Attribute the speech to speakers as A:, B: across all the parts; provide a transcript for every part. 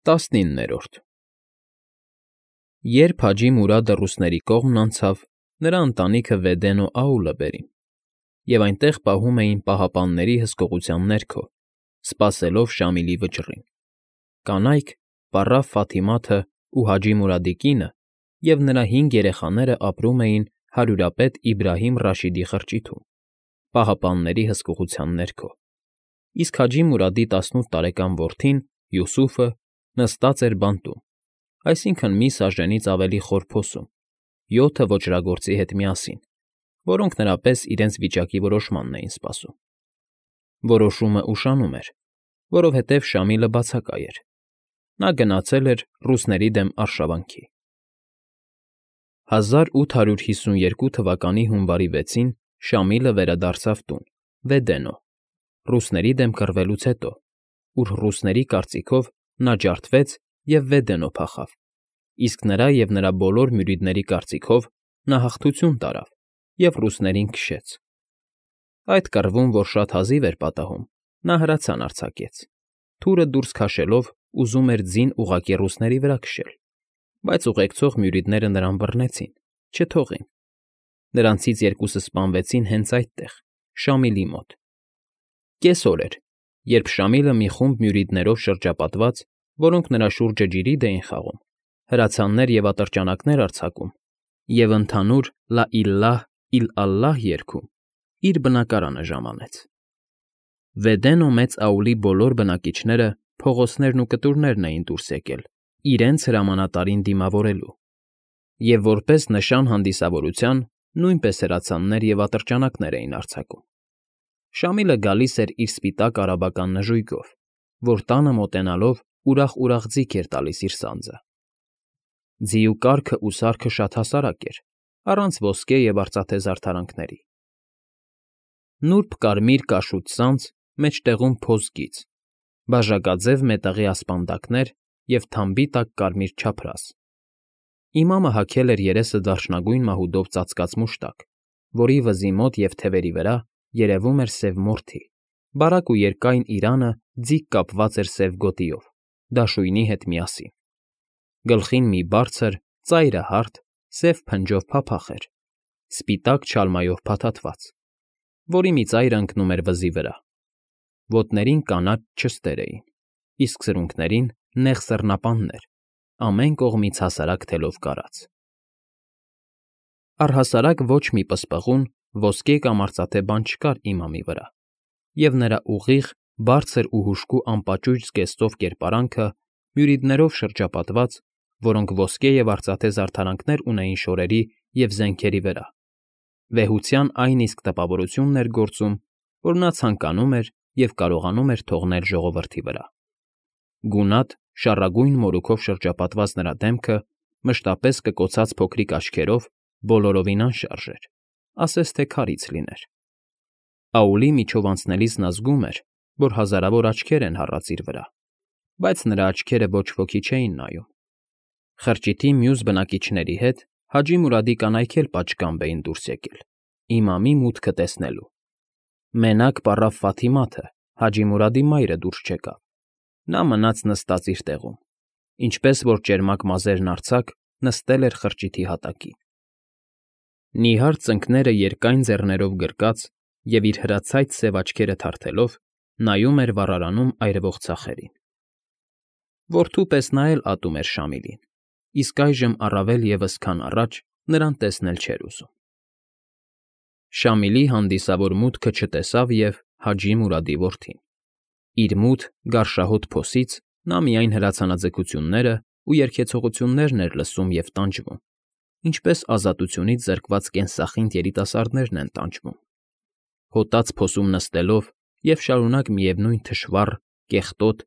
A: 19-րդ Երբ Հաջի Մուրադը ռուսների կողմն անցավ, նրա ընտանիքը Վեդենո Աուլը բերին, և այնտեղ պահում էին պահապանների հսկողության ներքո, սպասելով Շամիլի վճռին. կանայք, պառավ Ֆաթիմաթն ու Հաջի Մուրադի կինը և նրա 5 երեխաները ապրում էին հարյուրապետ Իբրահիմ Ռաշիդի խրճիթում, պահապանների հսկողության ներքո, իսկ Հաջի Մուրադի 18 տարեկան որդին՝ Յուսուֆը, նստած էր բանտում, այսինքն՝ մի սաժենից ավելի խոր փոսում, 7 ոճրագործի հետ միասին, որոնք նրա պես իրենց վիճակի որոշմանն էին սպասում։ Որոշումը ուշանում էր, որովհետև Շամիլը բացակայ էր. նա գնացել էր ռուսների դեմ արշավանքի։ 1852 թվականի հունվարի 6-ին Շամիլը վերադարձավ տուն, Վեդենո, ռուսների դեմ կռվելուց հետո, ուր ռուսների կարծիքով նա ջարդվեց և Վեդենո փախավ, իսկ նրա և նրա բոլոր մյուրիդների կարծիքով նա հաղթություն տարավ և ռուսներին քշեց։ Այդ կռվում, որ շատ հազիվ էր պատահում, նա հրացան արձակեց, թուրը դուրս քաշելով ուզում էր ձին ուղղակի ռուսների վրա քշել, բայց ուղեկցող մյուրիդները նրան բռնեցին, չթողին։ Նրանցից 2-ը սպանվեցին հենց այդտեղ, Շամիլի մոտ։ Կեսօր էր, երբ Շամիլը մի խումբ մյուրիդներով շրջապատված, որոնք նրա շուրջը ջրիդ էին խաղում, հրացաններ և ատրճանակներ արձակում և ընդհանուր «Լա իլլահ, իլਅալլահ» երգում, իր բնակարանը ժամանեց։ Վեդենո Մեծ Աուլի բոլոր բնակիչները, փողոցներն ու կտուրներն էին դուրս եկել իրենց հրամանատարին դիմավորելու, և որպես նշան հանդիսավորության նույնպես հրացաններ և ատրճանակներ էին արձակում։ Շամիլը գալիս էր իր սպիտակ արաբական նժույգով, որ տանը մոտենալով ուրախ֊ուրախ ձիգ էր տալիս իր սանձը։ Ձիու կառքն ու սարքը շատ հասարակ էր, առանց ոսկե և արծաթե զարդարանքների։ Նուրբ կարմիր կաշուտ սանձ, մեջտեղում փոս գիծ, բաժակաձև մետաղի ասպանդակներ և թամբի տակ կարմիր չափրաս։ Իմամը հագել էր երեսը դարչնագույն մահուդով ծածկած մուշտակ, որի վզի մոտ և թևերի վրա երևում էր սև մորթի, բարակ ու երկայն իրանը ձիգ կապված էր սև գոտիով, դաշույնի հետ միասին։ Գլխին մի բարձր, ծայրահարթ, սև փնջով փափախ էր, սպիտակ չալմայով փաթաթված, որի մի ծայրը ընկնում էր վզի վրա։ Ոտներին կանաչ չստեր էին, իսկ սրունքներին նեղ սռնապաններ, ամեն կողմից հասարակ թելով կարած։ Առհասարակ ոչ մի պսպղուն, ոսկե կամ արծաթե բան չկար իմամի վրա, և նրա ուղիղ, բարձր ու հուժկու անպաճույճ զգեստով կերպարանքը մյուրիդներով շրջապատված, որոնք ոսկե և արծաթե զարդարանքներ ունեին շորերի և զենքերի վրա, վեհության այն իսկ տպավորությունն էր գործում, որ նա ցանկանում էր և կարողանում էր թողնել ժողովրդի վրա։ Գունատ, շառագույն մորուքով շրջապատված նրա դեմքը մշտապես կկոցած փոքրիկ աչքերով բոլորովին անշարժ էր, ասես թե քարից լիներ։ Աուլի միջով անցնելիս նա զգում էր, որ հազարավոր աչքեր են հառած իր վրա, բայց նրա աչքերը ոչ ոքի չէին նայում։ Խրճիթի մյուս բնակիչների հետ Հաջի Մուրադի կանայք էլ պատշգամբ էին դուրս եկել, իմամի մուտքը տեսնելու։ Մենակ պառավ Ֆաթիմաթը, Հաջի Մուրադի մայրը դուրս չեկավ, նա մնաց նստած իր տեղում, ինչպես որ ճերմակ մազերն արձակ նստել էր խրճիթի հատակին։ Նիհար ծնկները երկայն ձեռներով գրկած և իր հրացայտ սև աչքերը թարթելով նայում էր վառարանում այրվող ծախերին։ Որդու պես նա էլ ատում էր Շամիլին, իսկ այժմ առավել ևս, քան առաջ, նրան տեսնել չէր ուզում։ Շամիլի հանդիսավոր մուտքը չտեսավ և Հաջի Մուրադի որդին։ Իր մութ, գարշահոտ փոսից նա միայն հրացանաձգությունները ու երգեցողություններն էր լսում և տանջվում, ինչպես ազատությունից զրկված կենսախինդ երիտասարդներն են տանջվում։ Հոտած փոսում նստելով և շարունակ միևնույն թշվառ, կեղտոտ,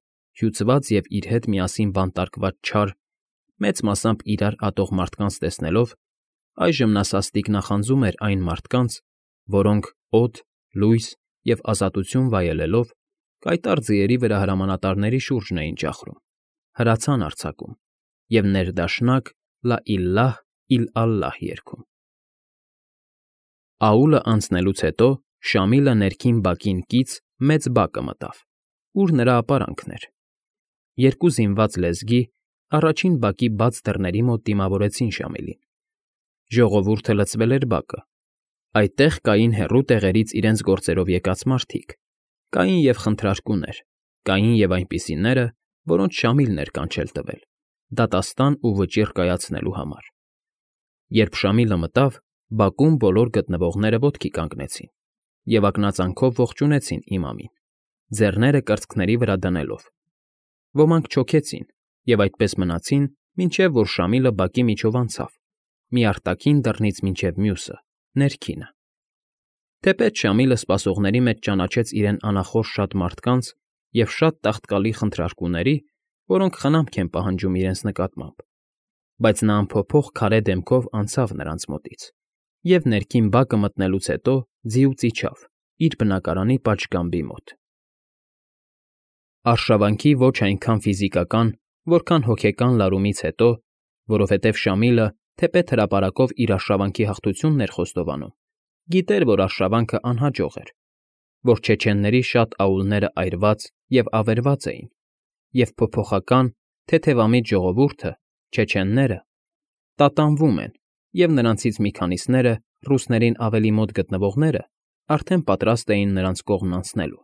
A: հյուծված և իր հետ միասին բանտարկված չար, մեծ մասամբ իրար ատող մարդկանց տեսնելով, այժմ նա սաստիկ նախանձում էր այն մարդկանց, որոնք, օդ, լույս և ազատություն վայելելով, կայտառ ձիերի վրա հրամանատարների շուրջն էին ճախրում, հրացան արձակում և ներդաշնակ «Լա իլլահ, իլਅալլահ» երգում։ Աուլը անցնելուց հետո Շամիլը ներքին բակին կից մեծ բակը մտավ, ուր նրա ապարանքն էր, երկու զինված լեզգի առաջին բակի բաց դռների մոտ դիմավորեցին Շամիլին։ Ժողովուրդը լցվել էր բակը։ Այդտեղ կային հեռու տեղերից իրենց գործերով եկած մարդիկ, կային և խնդրարկուներ, կային և այնպիսիները, որոնց Շամիլն էր կանչել տվել, դատաստան ու վճիռ կայացնելու համար։ Երբ Շամիլը մտավ, բակում բոլոր գտնվողները ոտքի կանգնեցին և ակնածանքով ողջունեցին իմամին, ձեռները կրծքների վրա դնելով։ Ոմանք չոքեցին և այդպես մնացին, մինչև որ Շամիլը բակի միջով անցավ, մի արտաքին դռնից մինչև մյուսը, ներքինը։ Թեպետ Շամիլը սպասողների մեջ ճանաչեց իրեն անախորժ շատ մարդկանց և շատ տաղտկալի խնդրարկուների, որոնք խնամք են պահանջում իրենց նկատմամբ, բայց նա անփոփոխ քարե դեմքով անցավ նրանց մոտից և ներքին բակը մտնելուց հետո ձիուց իջավ իր բնակարանի պատշգամբի մոտ։ Արշավանքի ոչ այնքան ֆիզիկական, որքան հոգեկան լարումից հետո, որովհետև Շամիլը, թեպետ հրապարակով իր արշավանքի հաղթությունն էր խոստովանում, գիտեր, որ արշավանքը անհաջող էր, որ չեչենների շատ աուլները այրված և ավերված էին, և փոփոխական, թեթևամիտ ժողովուրդը, չեչենները, տատանվում են, և նրանցից մի քանիսները, ռուսներին ավելի մոտ գտնվողները, արդեն պատրաստ էին նրանց կողմն անցնելու։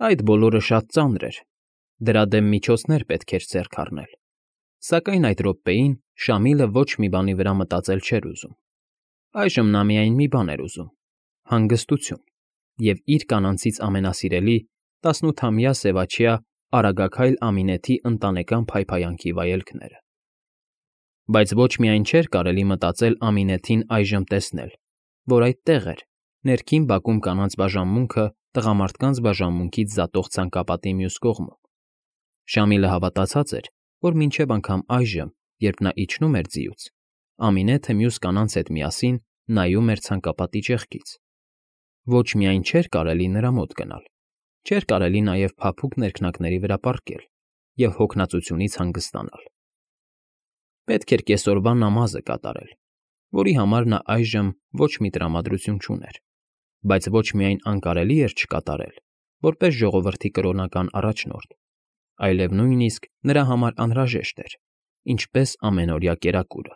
A: Այդ բոլորը շատ ծանր էր, դրա դեմ միջոցներ պետք էր ձեռք առնել, սակայն այդ րոպեին Շամիլը ոչ մի բանի վրա մտածել չէր ուզում։ Այժմ նա միայն մի բան էր ուզում՝ հանգստություն և իր կանանցից ամենասիրելի 18-ամյա սևաչյա Արագաքայլ Ամինեթի ընտանեկան փայփայանքի վայելքները։ Բայց ոչ միայն չէր կարելի մտածել Ամինեթին այժմ տեսնել, որ այդտեղ էր, ներքին բակում կանանց բաժանմունքը տղամարդկանց բաժանմունքից զատող ցանկապատի մյուս կողմում։ Շամիլը հավատացած էր, որ մինչև անգամ այժմ, երբ նա իջնում էր ձիուց, Ամինեթը մյուս կանանց հետ միասին նայում էր ցանկապատի ճեղքից։ Ոչ միայն չէր կարելի նրա մոտ գնալ, չէր կարելի նաև փափուկ ներքնակների վրա պառկել և հոգնածությունից հանգստանալ։ Պետք էր կեսօրվա նամազը կատարել, որի համար նա այժմ ոչ մի տրամադրություն չուներ, բայց ոչ միայն անկարելի էր չկատարել, որպես ժողովրդի կրոնական առաջնորդ, այլև նույնիսկ նրա համար անհրաժեշտ էր, ինչպես ամենօրյա կերակուրը։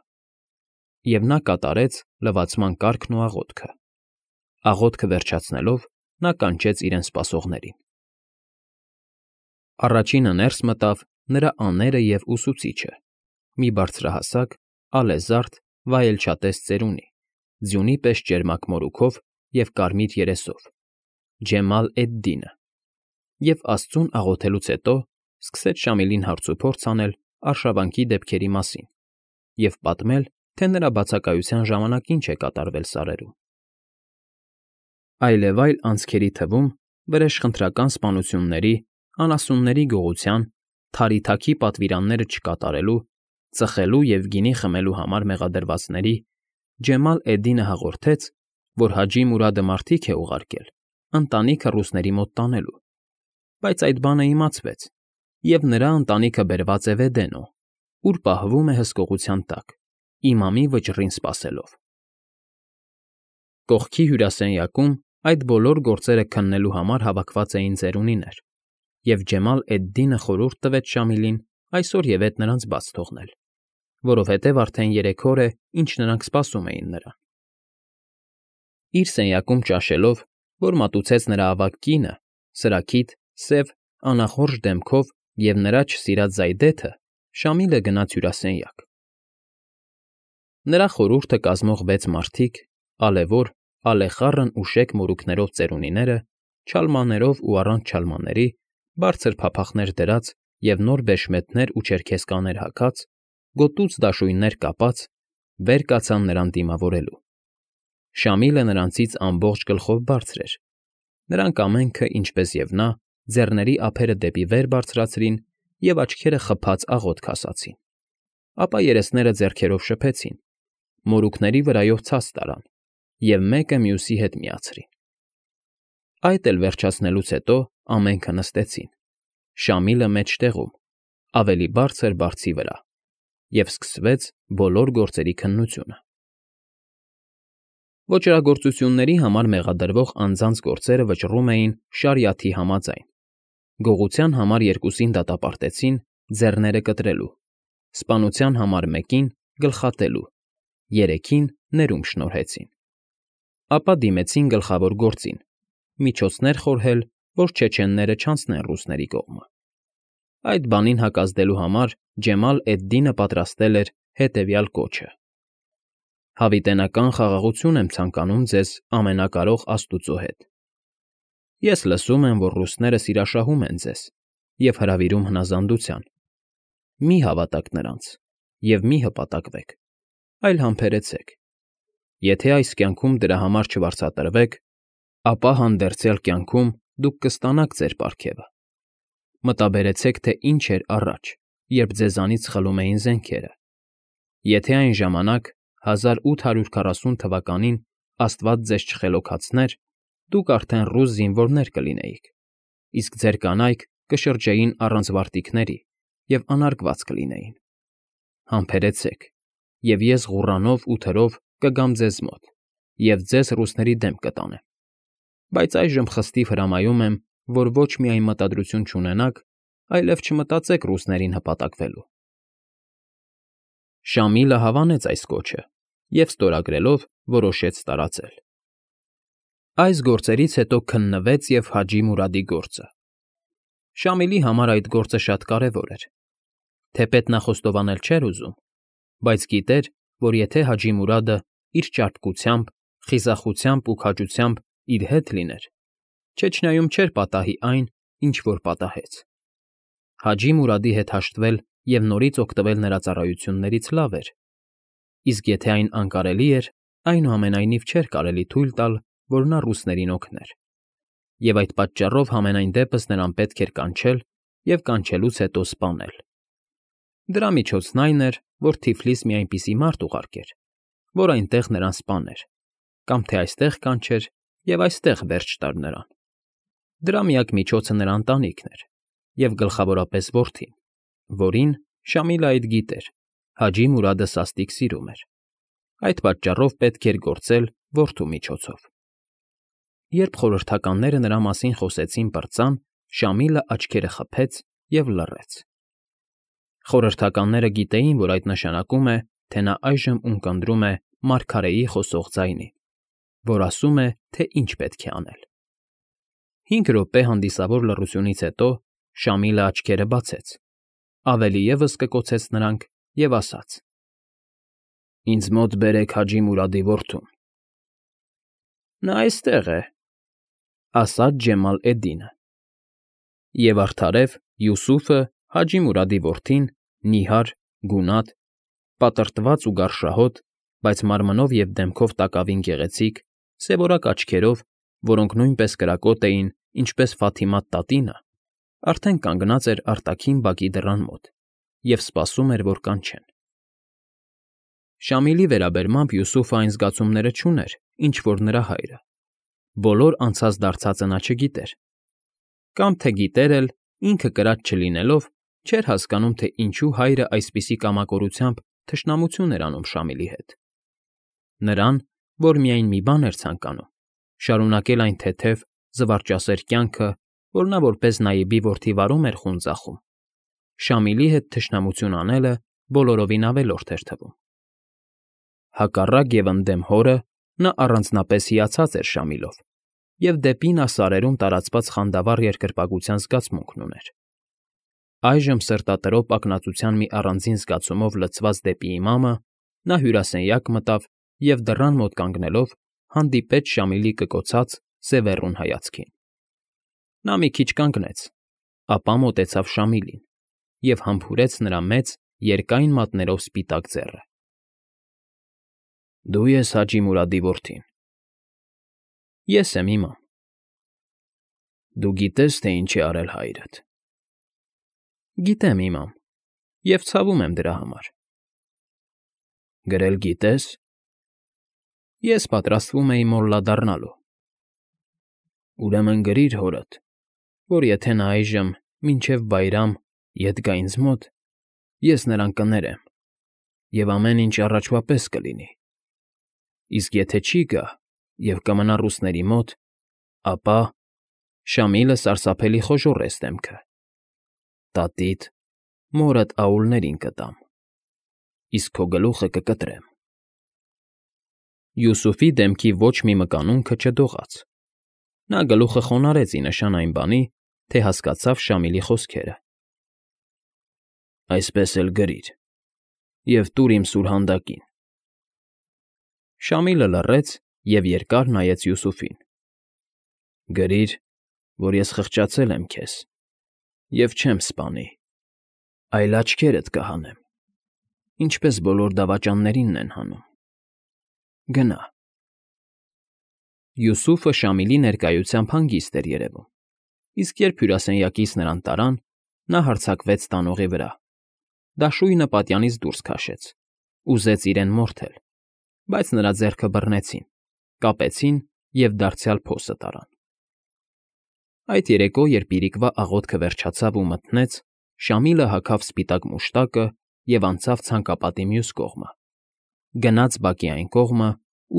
A: Եվ նա կատարեց լվացման կարգն ու աղոթքը։ Աղոթքը վերջացնելով՝ նա կանչեց իրեն սպասողներին։ Առաջինը ներս մտավ նրա աները և ուսուցիչը, մի բարձրահասակ, ալեզարդ, վայելչատես ծերունի, ձյունի պես ճերմակ մորուքով և կարմիր երեսով, Ջեմալ էդ֊Դինը, և աստծուն աղոթելուց հետո սկսեց Շամիլին հարցուփորձ անել արշավանքի դեպքերի մասին և պատմել, թե նրա բացակայության ժամանակ ինչ է կատարվել սարերում։ Այլևայլ անցքերի թվում վրեժխնդրական սպանությունների, անասունների գողության, թարիթաքի պատվիրանները չկատարելու, ծխելու և գինի խմելու համար մեղադրվածների Ջեմալ էդ֊Դինը հաղորդեց, որ Հաջի Մուրադը մարդիկ է ուղարկել ընտանիքը ռուսների մոտ տանելու, բայց այդ բանը իմացվեց, և նրա ընտանիքը բերված է Վեդենո, ուր պահվում է հսկողության տակ, իմամի վճռին սպասելով։ Կողքի հյուրասենյակում այդ բոլոր գործերը քննելու համար հավաքված էին ծերունիներ, և Ջեմալ էդ֊Դինը խորհուրդ տվեց Շամիլին այսօր և նրանց բաց թողնել, որովհետև արդեն 3 օր է, ինչ նրանք սպասում էին նրան։ Իր սենյակում ճաշելով, որ մատուցեց նրա ավագ կինը, սրաքիթ, սև, անախորժ դեմքով և նրա չսիրած զայդեթը, Շամիլը գնաց հյուրասենյակ։ Նրա խորհուրդը կազմող 6 մարդիկ, ալևոր, ալեխառն ու շեկ մորուքներով ծերունիները, չալմաներով ու առանց չալմաների, բարձր փափախներ դրած և նոր բեշմետներ ու չերքեզկաներ հագած, գոտուց դաշույններ կապած, վեր կացան նրան դիմավորելու։ Շամիլը նրանցից ամբողջ գլխով բարձր էր։ Նրանք ամենքը, ինչպես և նա, ձեռների ափերը դեպի վեր բարձրացրին և աչքերը խփած աղոթք ասացին, ապա երեսները ձեռքերով շփեցին, մորուքների վրայով ցած տարան և մեկը մյուսի հետ միացրին։ Այդ էլ վերջացնելուց հետո ամենքը նստեցին, Շամիլը մեջտեղում, ավելի բարձր բարձի վրա, և սկսվեց բոլոր գործերի քննությունը։ Ոճրագործությունների համար մեղադրվող անձանց գործերը վճռում էին շարիաթի համաձայն, գողության համար երկուսին դատապարտեցին ձեռները կտրելու, սպանության համար մեկին գլխատելու, երեքին ներում շնորհեցին։ Ապա դիմեցին գլխավոր գործին, միջոցներ խորհել, որ չեչենները չանցնեն ռուսների կողմը։ Այդ բանին հակազդելու համար Ջեմալ էդ֊Դինը պատրաստել էր հետևյալ կոչը. «Հավիտենական խաղաղություն եմ ցանկանում ձեզ ամենակարող Աստուծո հետ։ Ես լսում եմ, որ ռուսները սիրաշահում են ձեզ և հրավիրում հնազանդության։ Մի հավատաք նրանց և մի հպատակվեք, այլ համբերեցեք։ Եթե այս կյանքում դրա համար չվարձատրվեք, ապա հանդերձյալ կյանքում դուք կստանաք ձեր պարգևը։ Մտաբերեցեք, թե ինչ էր առաջ, երբ ձեզանից խլում էին զենքերը։ Եթե այն ժամանակ, 1840 թվականին, Աստված ձեզ չխելոքացներ, դուք արդեն ռուս զինվորներ կլինեիք, իսկ ձեր կանայք կշրջեին առանց վարտիքների և անարգված կլինեին։ Համբերեցեք, և ես ղուռանով ու թրով կգամ ձեզ մոտ և ձեզ ռուսների դեմ կտանեմ։ Բայց այժմ խստիվ հրամայում եմ, որ ոչ միայն մտադրություն չունենաք, այլև չմտածեք ռուսներին հպատակվելու»։ Շամիլը հավանեց այս կոչը և ստորագրելով որոշեց տարածել։ Այս գործերից հետո քննվեց և Հաջի Մուրադի գործը։ Շամիլի համար այդ գործը շատ կարևոր էր։ Թեպետ նա խոստովանել չէր ուզում, բայց գիտեր, որ եթե Հաջի Մուրադը իր ճարպկությամբ, խիզախությամբ ու քաջությամբ իր հետ լիներ, Չեչնիայում չէր պատահի այն, ինչ որ պատահեց։ Հաջի Մուրադի հետ հաշտվել և նորից օգտվել նրա ծառայություններից լավ էր, իսկ եթե այն անկարելի էր, այնուամենայնիվ չէր կարելի թույլ տալ, որ նա ռուսներին օգներ, և այդ պատճառով համենայն դեպս նրան պետք էր կանչել և կանչելուց հետո սպանել։ Դրա միջոցն այն էր, որ Թիֆլիս մի այնպիսի մարդ ուղարկեր, որ այնտեղ նրան սպաներ, կամ թե այստեղ կանչեր և այստեղ վերջ տար նրան։ Դրա միակ միջոցը նրա ընտանիքն էր և գլխավորապես որդին, որին, Շամիլը այդ գիտեր, Հաջի Մուրադը սաստիկ սիրում էր։ Այդ պատճառով պետք էր գործել որդու միջոցով։ Երբ խորհրդականները նրա մասին խոսեցին պրծան, Շամիլը աչքերը խփեց և լռեց։ Խորհրդականները գիտեին, որ այդ նշանակում է, թե նա այժմ ունկնդրում է մարգարեի խոսող ձայնին, որ ասում է, թե ինչ պետք է անել։ 5 րոպե հանդիսավոր լռությունից հետո Շամիլը աչքերը բացեց, ավելի ևս կկոցեց նրանք և ասաց. «Ինձ մոտ բերեք Հաջի Մուրադի որդուն»։ «Նա այստեղ է», ասաց Ջեմալ էդ֊Դինը։ Եվ արդարև Յուսուֆը, Հաջի Մուրադի որդին, նիհար, գունատ, պատրտված ու գարշահոտ, բայց մարմնով և դեմքով տակավին գեղեցիկ, սևորակ աչքերով, որոնք նույնպես կրակոտ էին, ինչպես Ֆաթիմադ տատինը, արդեն կանգնած էր արտաքին բակի դռան մոտ և սպասում էր, որ կանչեն։ Շամիլի վերաբերմամբ Յուսուֆը այն զգացումները չուներ, ինչ որ նրա հայրը։ Բոլոր անցած֊դարձածը նա չգիտեր։ Կամ թե գիտեր էլ, ինքը կրած չլինելով, չէր հասկանում, թե ինչու հայրը այսպիսի կամակորությամբ թշնամություն էր անում Շամիլի հետ։ Նրան, որ միայն մի բան էր ցանկանում՝ շարունակել այն թեթև, զվարճասեր կյանքը, որ նա որպես Նայիբի որդի վարում էր խուն-ձախում, Շամիլի հետ թշնամություն անելը բոլորովին ավելորդ էր թվում։ Հակառակ և ընդդեմ հորը նա առանձնապես հիացած էր Շամիլով և դեպի նա սարերում տարածված խանդավառ երկրպագության զգացմունքն ուներ։ Այժմ սրտատրոփ ակնածության մի առանձին զգացումով լցված դեպի Իմամը, նա հյուրասենյակ մտավ և դռան մոտ կանգնելով հանդիպեց Շամիլի կկոցած, սևեռուն հայացքին։ Նա մի քիչ կանգնեց, ապա մոտեցավ Շամիլին և համբուրեց նրա մեծ, երկայն մատներով սպիտակ ձեռը։ «Դու ես Հաջի Մուրադի որդին»։ «Ես եմ, Իմամ»։ «Դու գիտե՞ս, թե ինչ է արել հայրդ»։ «Գիտեմ, Իմամ, և ցավում եմ դրա համար»։ «Գրել գիտե՞ս»։ «Ես պատրաստվում էի մոլլա դառնալու»։ «Ուրեմն գրիր հորդ, որ եթե նա այժմ, մինչև Բայրամ, ետ գա ինձ մոտ, ես նրան կներեմ, և ամեն ինչ առաջվա պես կլինի։ Իսկ եթե չի գա և կմնա ռուսների մոտ, ապա»։ Շամիլը սարսափելի խոժոռեց դեմքը։ Տատիդ, մորդ աուլներին կտամ, իսկ քո գլուխը կկտրեմ։ Յուսուֆի դեմքի ոչ մի մկանունքը չդողաց։ Նա գլուխը խոնարհեց ի նշան այն բանի, թե հասկացավ Շամիլի խոսքերը։ Այսպես էլ գրիր, և տուր իմ սուրհանդակին։ Շամիլը լռեց և երկար նայեց Յուսուֆին։ Գրիր, որ ես խղճացել եմ քեզ և չեմ սպանի, այլ աչքերդ կհանեմ, ինչպես բոլոր դավաճաններինն են հանում։ Գնա։ Յուսուֆը Շամիլի ներկայությամբ հանգիստ էր երևում, իսկ երբ հյուրասենյակից նրան տարան, նա հարձակվեց տանողի վրա, դաշույնը պատյանից դուրս քաշեց, ուզեց իրեն մորթել, բայց նրա ձեռքը բռնեցին, կապեցին և դարձյալ փոսը տարան։ Այդ երեկո, երբ իրիկվա աղոթքը վերջացավ ու մթնեց, Շամիլը հագավ սպիտակ մուշտակը և անցավ ցանկապատի մյուս կողմը, գնաց բակի այն կողմը,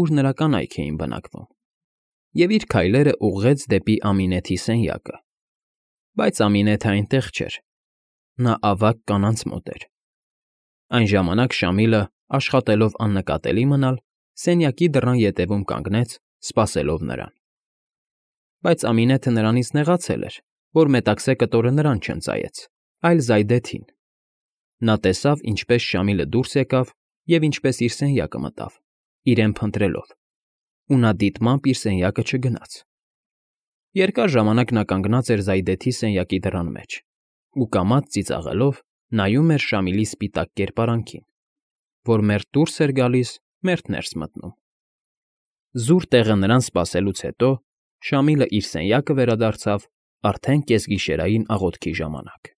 A: ուր նրա կանայք էին բնակվում, և իր քայլերը ուղղեց դեպի Ամինեթի սենյակը։ Բայց Ամինեթը այնտեղ չէր, նա ավագ կանանց մոտ էր։ Այն ժամանակ Շամիլը, աշխատելով աննկատելի մնալ, սենյակի դռան ետևում կանգնեց, սպասելով նրան։ Բայց Ամինեթը նրանից նեղացել էր, որ Մետաքսե կտորը նրան չընծայեց, այլ Զայդեթին։ Նա տեսավ, ինչպես Շամիլը դուրս եկավ և ինչպես իր սենյակը մտավ, իրեն փնտրելով, ու նա դիտմամբ իր սենյակը չգնաց։ Երկար ժամանակ նա կանգնած էր Զայդեթի սենյակի դռան մեջ ու կամաց ծիծաղելով նայում էր Շամիլի սպիտակ կերպարանքին, որ մերթ դուրս էր գալիս, մերթ ներս մտնում։ Զուր տեղը նրան սպասելուց հետո Շամիլը իր սենյակը վերադարձավ արդեն կեսգիշերային աղոթքի ժամանակ։